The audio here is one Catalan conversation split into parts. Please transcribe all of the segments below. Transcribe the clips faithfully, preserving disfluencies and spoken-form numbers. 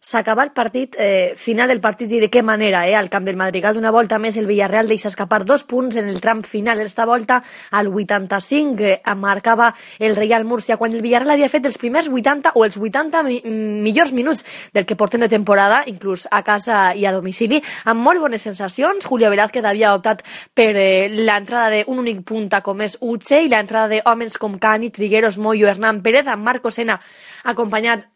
S'acaba el partit, eh, final del partit i de què manera, eh, al camp del Madrigal. D'una volta més el Villarreal deixa escapar dos punts en el tram final. Esta volta al vuitanta-cinc eh, marcava el Reial Múrcia, quan el Villarreal havia fet els primers vuitanta o els vuitanta mi millors minuts del que portem de temporada, inclús a casa i a domicili, amb molt bones sensacions. Julio Velázquez havia optat per eh, l'entrada d'un únic punta com és Uche i l'entrada d'homes com Cani, Trigueros, Moyo, Hernán Pérez, amb Marco Sena acompanyat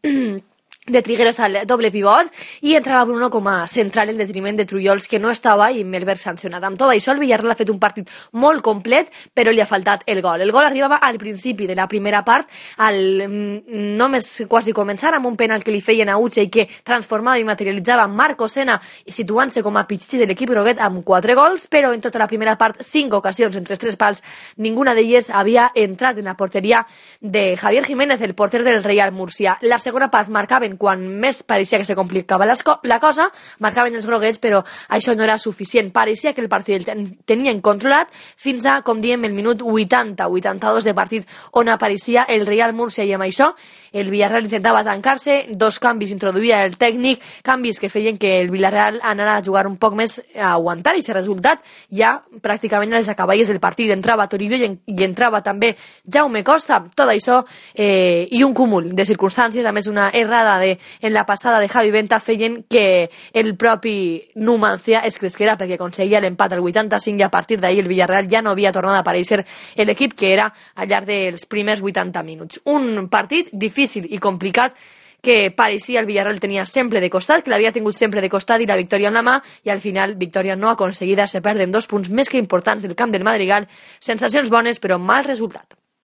de Trigueros al doble pivot, i entrava Bruno com a central en detriment de Trullols, que no estava, i Melberg sancionat. Amb tot això, el Villarreal ha fet un partit molt complet, però li ha faltat el gol. El gol arribava al principi de la primera part, al només quasi començar, amb un penal que li feien a Uche i que transformava i materialitzava Marco Sena, situant-se com a pitxi de l'equip groguet amb quatre gols, però en tota la primera part, cinc ocasions entre tres pals, ninguna d'elles havia entrat en la porteria de Javier Jiménez, el porter del Reial Múrcia. La segona part marcaven quan més pareixia que se complicava la cosa, marcaven els groguets, però això no era suficient. Pareixia que el partit el tenien controlat fins a, com diem, el minut vuitanta vuitanta-dos de partit, on apareixia el Reial Múrcia, i amb això el Villarreal intentava tancar-se. Dos canvis introduïa el tècnic, canvis que feien que el Villarreal anara a jugar un poc més, a aguantar aquest resultat. Ja pràcticament a les acaballes del partit entrava Toribio i, en, i entrava també Jaume Costa. Tot això eh, i un cúmul de circumstàncies, a més una errada de, en la passada de Javi Venta, feien que el propi Numancia es cresquera, perquè aconseguia l'empat al vuitanta-cinc, i a partir d'ahir el Villarreal ja no havia tornat a aparèixer l'equip que era al llarg dels primers vuitanta minuts. Un partit difícil i complicat que pareixia el Villarreal tenia sempre de costat, que l'havia tingut sempre de costat, i la victòria en la mà, i al final victòria no aconseguida. Se perden dos punts més que importants del camp del Madrigal. Sensacions bones, però mal resultat.